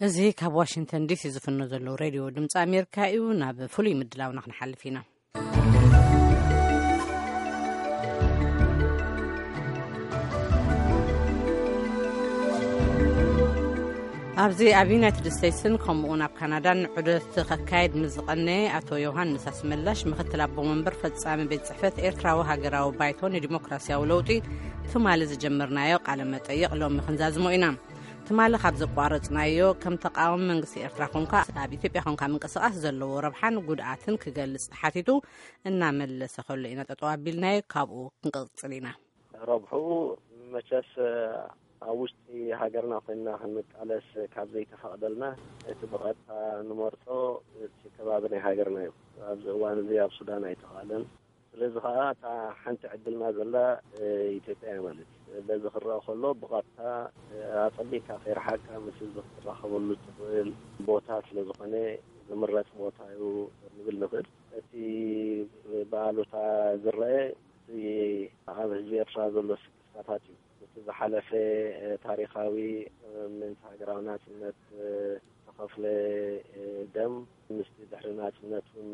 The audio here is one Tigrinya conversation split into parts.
እዚ ካብ ዋሽንግተን ዲሲ ዝፍኖ ዘሎ ሬድዮ ድምፂ ኣሜሪካ እዩ። ናብ ፍሉይ ምድላውና ክንሓልፍ ኢና። ኣብዚ ኣብ ዩናይትድ ስቴትስን ከምኡውን ኣብ ካናዳን ዑደት ከካየድ ምስ ዝቐነየ ኣቶ ዮሃንስ ኣስመላሽ፣ ምክትል ኣቦ መንበር ፈጻሚ ቤት ጽሕፈት ኤርትራዊ ሃገራዊ ባይቶ ንዲሞክራሲያዊ ለውጢ፣ ትማሊ ዝጀመርናዮ ቃለ መጠይቕ ሎሚ ክንዛዝሞ ኢና። ትማሊ ካብ ዘቋረጽናዮ፣ ከም ተቃዋሚ መንግስቲ ኤርትራ ኮንካ ኣብ ኢትዮጵያ ኮንካ ምንቅስቃስ ዘለዎ ረብሓን ጉድኣትን ክገልጽ ተሓቲቱ እናመለሰ ከሎ ኢና ጠጠው ኣቢልናዮ። ካብኡ ክንቅጽል ኢና። ረብሕኡ መቸስ ኣብ ውሽጢ ሃገርና ኮይንና ክንቃለስ ካብ ዘይተፈቕደልና፣ እቲ ብቐጥታ ንመርጾ እቲ ከባቢ ናይ ሃገርና እዩ። ኣብዚ እዋን እዚ ኣብ ሱዳን ኣይተኻእለን። ስለዚ ከዓ እታ ሓንቲ ዕድልና ዘላ ኢትዮጵያ እያ ማለት እዩ። በዚ ክረአ ከሎ ብቐጥታ ኣጸቢቕካ ከይረሓቅካ ምስ ህዝቢ ክትራኸበሉ እትኽእል ቦታ ስለ ዝኾነ ዝምረጽ ቦታ እዩ ንብል ንኽእል። እቲ ብኣሉታ ዝረአ እቲ ኣብ ህዝቢ ኤርትራ ዘሎ ስክፍታታት እዩ። እቲ ዝሓለፈ ታሪኻዊ ምእንቲ ሃገራዊ ናጽነት ዝተኸፍለ ደም፣ ምስቲ ድሕሪ ናጽነት እውን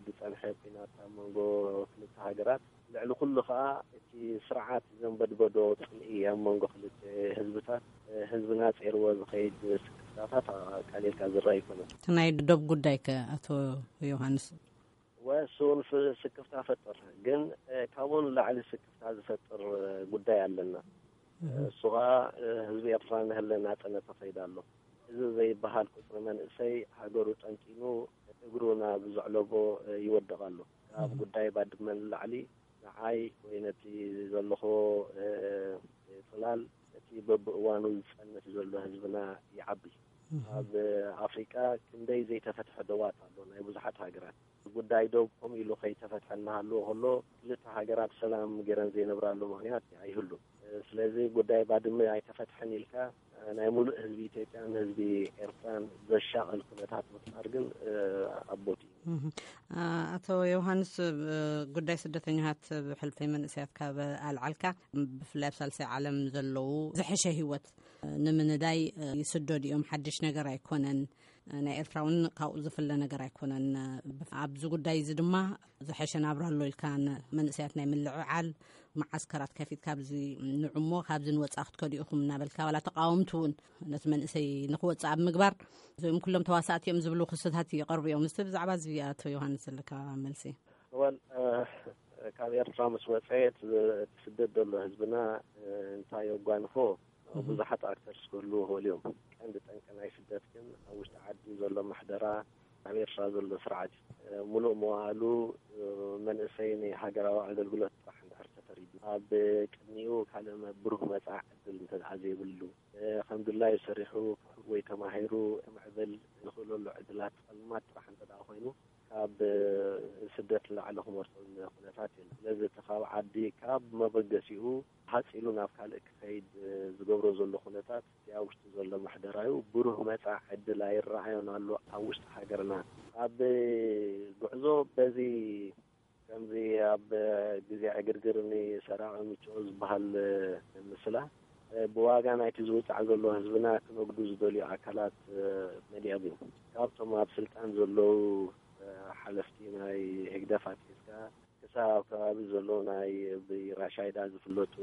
ዝጸንሐ ኲናት ኣብ መንጎ ክልተ ሃገራት፣ ልዕሊ ኩሉ ከኣ እቲ ስርዓት ዘንበድበዶ ጽልኢ ኣብ መንጎ ክልተ ህዝብታት፣ ህዝብና ጸይርዎ ዝኸይድ ስክፍታታት ቀሊልካ ዝረኣ ኣይኮነን። እቲ ናይ ዶብ ጉዳይ ከ ኣቶ ዮሃንስ? ወሱ እውን ፍ-፣ ስክፍታ ፈጥር፣ ግን ካብኡ ንላዕሊ ስክፍታ ዝፈጥር ጉዳይ ኣለና። እሱ ከኣ ህዝቢ ኤርትራ ንህለ ናጽነት ይኸይድ ኣሎ። እዚ ዘይበሃል ቁጽሪ መንእሰይ ሃገሩ ጠንጢኑ እግሩ ናብ ዘዕለቦ ይወድቕ ኣሎ። ካብ ጉዳይ ባድመ ንላዕሊ ንዓይ ወይ ነቲ ዘለኹ ጽላል እቲ በብእዋኑ ዝጸንት ዘሎ ህዝብና ይዓቢ። ኣብ ኣፍሪቃ ክንደይ ዘይተፈትሐ ደባት ኣሎ ናይ ብዙሓት ሃገራት። ጉዳይ ዶብ ከምኡ ኢሉ ከይተፈትሐ እናሃለወ ከሎ ክልተ ሃገራት ሰላም ገይረን ዘይነብራሉ ምኽንያት ኣይህሉን። ስለዚ ጉዳይ ባድመ ኣይተፈትሐን ኢልካ ናይ ሙሉእ ህዝቢ ኢትዮጵያን ህዝቢ ኤርትራን ዘሻቕል ኩነታት ምፍጣር ግን ኣቦት እዩ። እህ። አ-፣ ኣቶ ዮሃንስ፣ ብ-፣ ጉዳይ ስደተኛታት ብሕልፈይ መንእሰያት ካብ ኣልዓልካ፣ ብፍላይ ኣብ ሳልሳይ ዓለም ዘለዉ ዝሐሸ ህይወት ንምንዳይ ይስደዱ እዮም። ሓድሽ ነገር ኣይኮነን። ናይ ኤርትራ እውን ካብኡ ዝፍለ ነገር ኣይኮነን። ኣብዚ ጉዳይ እዚ ድማ ዝሐሸ ናብራ ኣሎ ኢልካ ንመንእሰያት ናይ ምልዕዓል፣ መዓስከራት ከፊትካ ኣብዚ ንዑሞ ካብዚ ንወጻኢ ክትከዱ ኢኹም እናበልካ፣ ዋላ ተቃወምቲ እውን ነቲ መንእሰይ ንክወጽእ ኣብ ምግባር፣ እዚኦም ኩሎም ተዋሳእቲ እዮም ዝብሉ ክስታት ይቐርቡ እዮም። እስቲ ብዛዕባ እዚ ኣቶ ዮሃንስ ዘለካ መልሲ? እዋን፣ እ፣ ካብ ኤርትራ ምስ ወጸ እቲ፣ እቲ ስደት ዘሎ ህዝብና፣ እ፣ እንታይ የጓንፎ? እህ። ብዙሓት ኣክተርስ ክህልዉ ይኽእሉ እዮም። ቀንዲ ጠንቂ ናይ ስደት ግን ኣብ ውሽጢ ዓዲ ዘሎ ምሕደራ፣ ኣብ ኤርትራ ዘሎ ስርዓት እዩ። እ፣ ሙሉእ መዋእሉ፣ እ፣ መንእሰይ ንሃገራዊ ኣገልግሎት ጥራሕ እንድሕር ተፈሪዱ፣ ኣብ ቅድሚኡ ካልእ መ-፣ ብሩህ መጻኢ ዕድል እንተ ደኣ ዘይብሉ፣ እ፣ ከም ድላዩ ሰሪሑ ወይ ተማሂሩ ክምዕብል ዝኽእለሉ ዕድላት ጸልማት ጥራሕ እንተ ደኣ ኮይኑ፣ ካብ ስደት ንላዕሊ ክመርጾ ዝኒሀ ኩነታት የለን። ስለዚ እቲ ካብ ዓዲ፣ ካብ መበገሲኡ ሃጽ ኢሉ ናብ ካልእ ክኸይድ ዝገብሮ ዘሎ ኩነታት፣ እቲ ኣብ ውሽጢ ዘሎ ምሕደራዩ ብሩህ መጻኢ ዕድል ኣይረኣዮን ኣሎ ኣብ ውሽጢ ሃገርና። ኣብ ጉዕዞ በዚ ከምዚ ኣብ ግዜ ዕግርግር ንሰራቒ ምችኦ ዝበሃል ምስላ፣ ብዋጋ ናይቲ ዝውጻዕ ዘሎ ህዝብና ክነግዱ ዝደልዩ ኣካላት መሊኦም እዮም። ካብቶም ኣብ ስልጣን ዘለዉ ሓለፍቲ ናይ ህግደፍ ኣትሒዝካ ክሳብ ኣብ ከባቢ ዘለዉ ናይ ብራሻይዳ ዝፍለጡ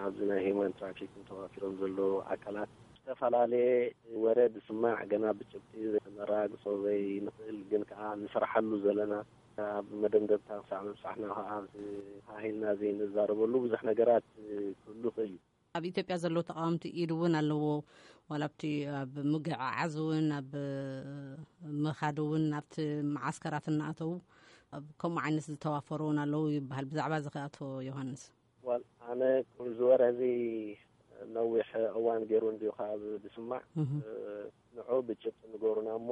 ኣብዚ ናይ ሂውማን ትራፊኪንግ ተዋፊሮም ዘለዉ ኣካላት ዝተፈላለየ ወረ ዝስማዕ፣ ገና ብጭብጢ ክነረጋግጾ ዘይንኽእል ግን ከኣ ንሰርሓሉ ዘለና፣ ኣብ መደምደምታ ክሳዕ ምብጻሕና ከኣ ተሃሂልና ዘይንዛረበሉ ብዙሕ ነገራት ክህሉ ይኽእል እዩ። ኣብ ኢትዮጵያ ዘለዉ ተቃወምቲ ኢድ እውን ኣለዎ። ዋላ ኣብቲ ኣብ ምግዕዓዝ እውን፣ ኣብ ምኻድ እውን፣ ኣብቲ መዓስከራት እናኣተዉ ኣብ ከምኡ ዓይነት ዝተዋፈሩ እውን ኣለዉ ይበሃል። ብዛዕባ እዚ ከ ኣቶ ዮሃንስ? ዋል፣ ኣነ እዚ ወረ እዚ ነዊሕ እዋን ገይሩ እንድዩ ካብ ዝስማዕ፣ እህ። እ፣ ንዑ ብጭብጢ ንገሩና እሞ፣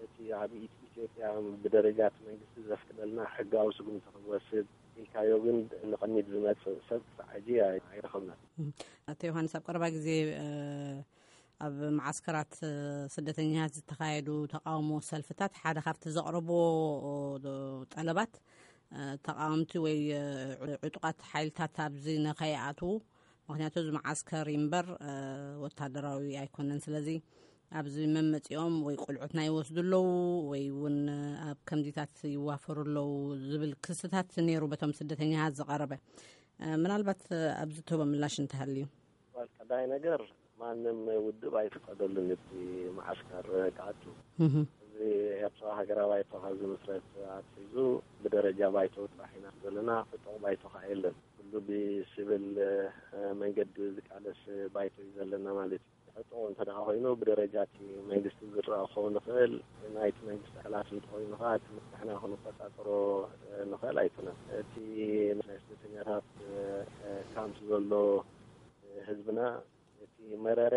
እቲ ኣብ ኢት-፣ ኢትዮጵያ ብደረጃ እቲ መንግስቲ ዘፍቅደልና ሕጋዊ ስጉምቲ ክንወስድ ኢልካዮ፣ ግን ንቕድሚት ዝመጽእ ሰብ ክሳዕ ሕጂ ኣይ-፣ ኣይረኸብናን። እህ። ኣቶ ዮሃንስ፣ ኣብ ቀረባ ግዜ፣ እ፣ ኣብ መዓስከራት፣ እ፣ ስደተኛታት ዝተኻየዱ ተቃውሞ ሰልፍታት ሓደ ካብቲ ዘቕረብዎ፣ እ፣ ጠለባት፣ እ፣ ተቃወምቲ ወይ፣ እ፣ ዕጡቓት ሓይልታት ኣብዚ ንኸይኣትዉ፣ ምኽንያቱ እዚ መዓስከር እዩ እምበር፣ እ፣ ወታደራዊ ኣይኮነን። ስለዚ ኣብዚ መመፂኦም ወይ ቆልዑትና ይወስዱ ኣለዉ ወይ እውን ኣብ ከምዚታት ይዋፈሩ ኣለዉ ዝብል ክስታት ነይሩ በቶም ስደተኛታት ዝቐረበ። ምናልባት ኣብዚ ትህቦ ምላሽ እንተሃልዩ። ቀዳይ ነገር፣ ማንም ውድብ ኣይፍቀደሉን እቲ መዓስከር ክኣቱ። እዚ ኤርትራ ሃገራዊ ባይቶ ካብ ዝምስረት ኣትሒዙ ብደረጃ ባይቶ ጥራሕ ኢና ዘለና። ዕጡቕ ባይቶ ከዓ የለን። ኩሉ ብሲቪል መንገዲ ዝቃለስ ባይቶ እዩ ዘለና ማለት እዩ። ዕጡቕ እንተ ደኣ ኮይኑ፣ ብደረጃ እቲ መንግስቲ ዝረኣ ክኸውን ይኽእል። ናይቲ መንግስቲ ኣካላት እንተኾይኑ ከዓ እቲ ንሕና ክንቆጻጸሮ ንኽእል ኣይኮነን። እቲ ናይ ስደተኛታት ካምፕ ዘሎ ህዝብና፣ እቲ መረረ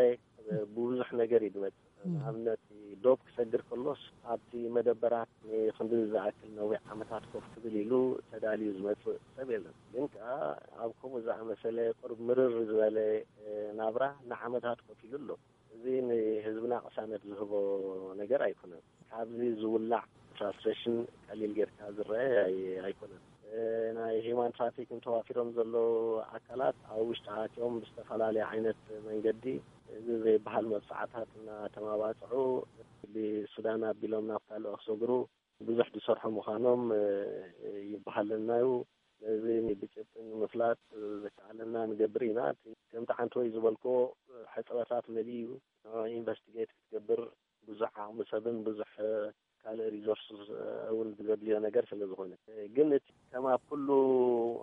ብብዙሕ ነገር እዩ ዝመጽእ። ንኣብነት፣ ዶብ ክሰግር ከሎስ ኣብቲ መደበራት ንክንዲ ዝኣክል ነዊሕ ዓመታት ኮፍ ክብል ኢሉ ተዳልዩ ዝመጽእ ሰብ የለን። ግን ከኣ ኣብ ከምኡ ዝኣመሰለ ቁሩብ ምርር ዝበለ ናብራ ንዓመታት ኮፍ ኢሉ ኣሎ። እዚ ንህዝብና ቅሳነት ዝህቦ ነገር ኣይኮነን። ካብዚ ዝውላዕ ፍራስትሬሽን ቀሊል ጌርካ ዝረአ ኣይ-፣ ኣይኮነን። ናይ ሂማን ትራፊክ ተዋፊሮም ዘለዉ ኣካላት ኣብ ውሽጢ ኣትዮም ብዝተፈላለየ ዓይነት መንገዲ እዚ ዘይበሃል መብፅዓታት እናተማባፅዑ ብሱዳን ኣቢሎም ናብ ካልኦ ክሰግሩ ብዙሕ ዝሰርሑ ምዃኖም ይበሃለና እዩ። ነዚ ብጭብጢ ንምፍላጥ ዝከኣለና ንገብር ኢና። ከምቲ ሓንቲ ወይ ዝበልክዎ ሕፅረታት መሊኡ እዩ። ንዕኡ ኢንቨስቲጌት ክትገብር ብዙሕ ዓቕሚ ሰብን ብዙሕ ካልእ ሪሶርስ እውን ዘድልዮ ነገር ስለ ዝኾነ፣ ግን እቲ ከም ኣብ ኩሉ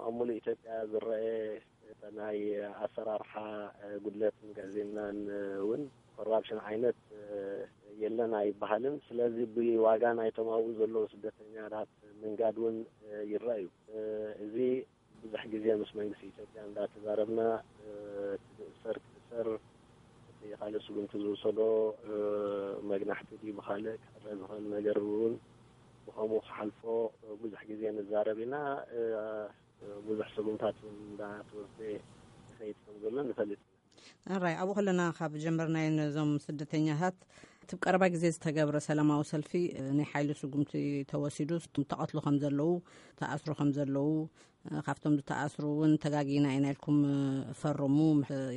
ኣብ ሙሉእ ኢትዮጵያ ዝረአ ናይ ኣሰራርሓ ጉድለትን ግዕዝይናን እውን ኮራፕሽን ዓይነት የለን ኣይበሃልን። ስለዚ ብዋጋ ናይቶም ኣብኡ ዘለዉ ስደተኛታት ምንጋድ እውን ይረአ እዩ። እዚ ብዙሕ ግዜ ምስ መንግስቲ ኢትዮጵያ እንዳተዛረብና፣ እቲ ዝእሰር ክእሰር፣ እቲ ካልእ ስጉምቲ ዝውሰዶ መግናሕቲ ድዩ ብኻልእ ክዕረ ዝኽእል ነገር እውን ብኸምኡ ክሓልፎ ብዙሕ ግዜ ንዛረብ ኢና። ብዙሕ ስጉምታት እውን እንዳተወስደ ይኸይድ ከም ዘሎ ንፈልጥ ኢና። ኣራይ፣ ኣብኡ ከለና ካብ ጀመርናዮ ነዞም ስደተኛታት እቲ ቀረባ ግዜ ዝተገብረ ሰላማዊ ሰልፊ ናይ ሓይሊ ስጉምቲ ተወሲዱ ተቐትሉ ከም ዘለዉ፣ ተኣስሩ ከም ዘለዉ፣ ካብቶም ዝተኣስሩ እውን ተጋጊና ኢና ኢልኩም ፈርሙ፣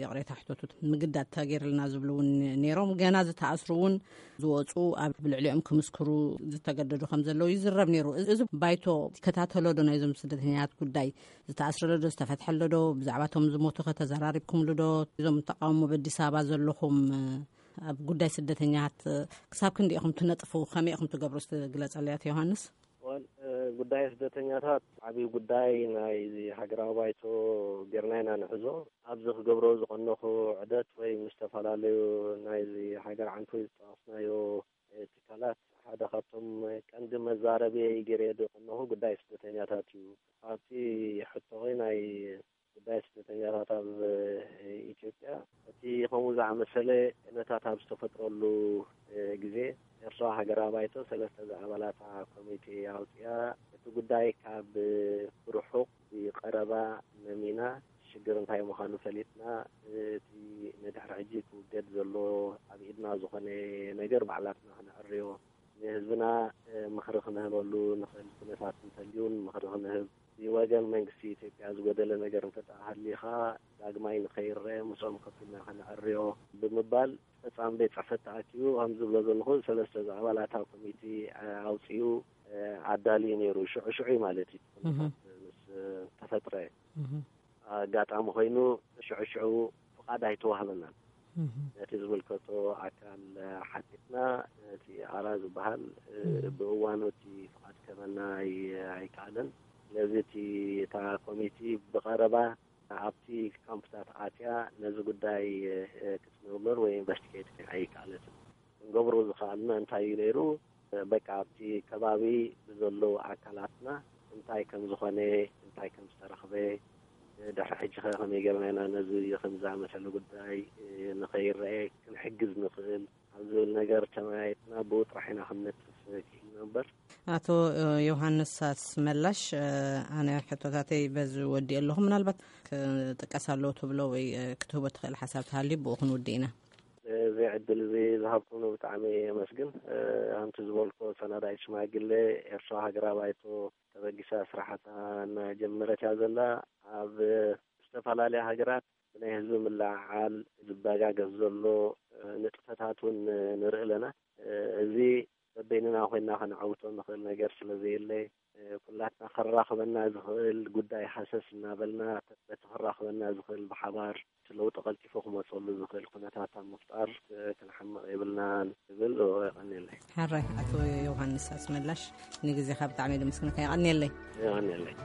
ይቕሬታ ሕተቱ፣ ምግዳድ ተገይርልና ዝብሉ እውን ነይሮም። ገና ዝተኣስሩ እውን ዝወፁ ኣብ ልዕሊኦም ክምስክሩ ዝተገደዱ ከም ዘለዉ ይዝረብ ነይሩ። እዚ ባይቶ ይከታተሎ ዶ ናይዞም ስደተኛታት ጉዳይ? ዝተኣስረ ኣሎ ዶ? ዝተፈትሐ ኣሎ ዶ? ብዛዕባ እቶም ዝሞቱ ከ ተዘራሪብኩምሉ ዶ? እዞም ተቃውሞ በኣዲስ ኣበባ ዘለኹም ኣብ ጉዳይ ስደተኛታት ክሳብ ክንዲ ኢኹም ትነጥፉ? ከመይ ኢኹም ትገብሩ? እስቲ ግለጸለይ ኣቶ ዮሃንስ። ወል፣ እ፣ ጉዳይ ስደተኛታት ዓብዪ ጉዳይ ናይዚ ሃገራዊ ባይቶ ጌርና ኢና ንሕዞ። ኣብዚ ክገብሮ ዝቐነኹ ዕደት ወይ ምስ ዝተፈላለዩ ናይዚ ሃገር ዓንቶይ ዝጠቐስናዮ፣ እ፣ ትካላት ሓደ ካብቶም ቀንዲ መዛረብየይ ገይረ ዝቐነኹ ጉዳይ ስደተኛታት እዩ። ኣብቲ ሕቶኺ ናይ ጉዳይ ስደተኛታት ኣብ ኢትዮጵያ፣ እቲ ከምኡ ዝኣመሰለ ኩነታት ኣብ ዝተፈጥረሉ ግዜ፣ ኤርትራ ሃገራዊ ባይቶ ሰለስተ ዝኣባላታ ኮሚቴ ኣውፅያ። እቲ ጉዳይ ካብ ብርሑቕ ብቀረባ መሚና ሽግር እንታይ ምዃኑ ፈሊጥና፣ እቲ ንድሕሪ ሕጂ ክውገድ ዘሎ ኣብ ኢድና ዝኾነ ነገር ባዕላትና ክነዕርዮ፣ ንህዝብና ምኽሪ ክንህበሉ ንኽእል ኩነታት እንተልዩን ምኽሪ ክንህብ፣ ብወገን መንግስቲ ኢትዮጵያ ዝጎደለ ነገር እንተደኣ ሃልዩ ኸኣ ዳግማይ ንኸይረአ ምስኦም ኮፍ ኢልና ከነዕርዮ ብምባል ፈጻሚ ቤት ጽሕፈት ተኣኪቡ፣ ከም ዝብሎ ዘለኹ ሰለስተ ዝኣባላታ ኮሚቴ ኣውጺኡ ኣዳልዩ ነይሩ። ሽዑ ሽዑ ማለት እዩ፣ ኩነታት ምስ ተፈጥረ። ኣጋጣሚ ኮይኑ ሽዑ ሽዑ ፍቓድ ኣይተዋህበናን። ነቲ ዝምልከቶ ኣካል ሓቲትና፣ እቲ ኣራ ዝበሃል ብእዋኑ እቲ ፍቓድ ክህበና ኣይ-፣ ኣይከኣለን። ስለዚ እቲ፣ እታ ኮሚቲ ብቐረባ ኣብቲ ካምፕታት ኣትያ ነዚ ጉዳይ ክትምርምር ወይ ኢንቨስቲጌት ኣይከኣለትን። ክንገብሮ ዝኸኣልና እንታይ እዩ ነይሩ? በቃ ኣብቲ ከባቢ ብዘለዉ ኣካላትና እንታይ ከም ዝኾነ፣ እንታይ ከም ዝተረኽበ፣ ድሕሪ ሕጂ ኸ ከመይ ጌርና ኢና ነዚ ከምዚ ዝኣመሰለ ጉዳይ ንኸይረአ ክንሕግዝ ንኽእል ኣብ ዝብል ነገር ተመያይጥና ብኡ ጥራሕ ኢና ክንነጥፍ ክኢልና እምበር። ኣቶ ዮሃንስ ኣስመላሽ፣ ኣነ ሕቶታተይ በዚ ወዲእ ኣለኹ። ምናልባት ክጥቀስ ኣለዎ ትብሎ ወይ ክትህቦ ትኽእል ሓሳብ ተሃልዩ ብኡ ክንውድእ ኢና። እዚ ዕድል እዚ ዝሃብኩምኒ ብጣዕሚ የመስግን። ከምቲ ዝበልኩ ሰናዳይ ሽማግለ ኤርትራ ሃገራዊ ባይቶ ተበጊሳ ስራሓታ እናጀመረት እያ ዘላ። ኣብ ዝተፈላለያ ሃገራት ናይ ህዝቢ ምልዕዓል ዝበጋገስ ዘሎ ንጥፈታት እውን ንርኢ ኣለና። እዚ በበይንና ኮይና ከነዓውቶ ንኽእል ነገር ስለ ዘየለ፣ ኩላትና ከራኽበና ዝኽእል ጉዳይ ሃሰስ እናበልና በቲ ከራኽበና ዝኽእል ብሓባር እቲ ለውጢ ቀልጢፉ ክመፀሉ ዝኽእል ኩነታት ኣብ ምፍጣር ክንሓምቕ የብልናን ዝብል። የቐንየለይ። ሕራይ ኣቶ ዮሃንስ ኣስመላሽ፣ ንግዜኻ ብጣዕሚ የመስግነካ። የቐንየለይ። የቐንየለይ።